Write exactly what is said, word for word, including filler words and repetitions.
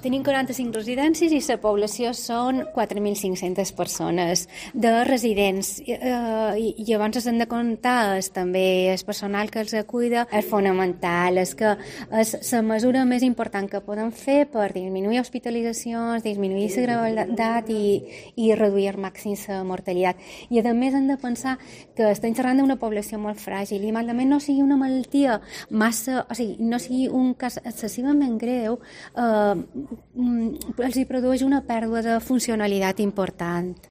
Tenim quaranta-cinc residències i la població són quatre mil cinc-centes persones de residents. Eh, i, I llavors s'han de comptar és, també el personal que els cuida, és fonamental, és que és la mesura més important que podem fer per disminuir hospitalitzacions, disminuir la gravetat i, i reduir al màxim la mortalitat. I a més hem de pensar que estem xerrant d'una població molt fràgil i malament no sigui una malaltia massa, o sigui, no sigui un cas excessivament greu, eh, els hi produeix una pèrdua de funcionalitat important.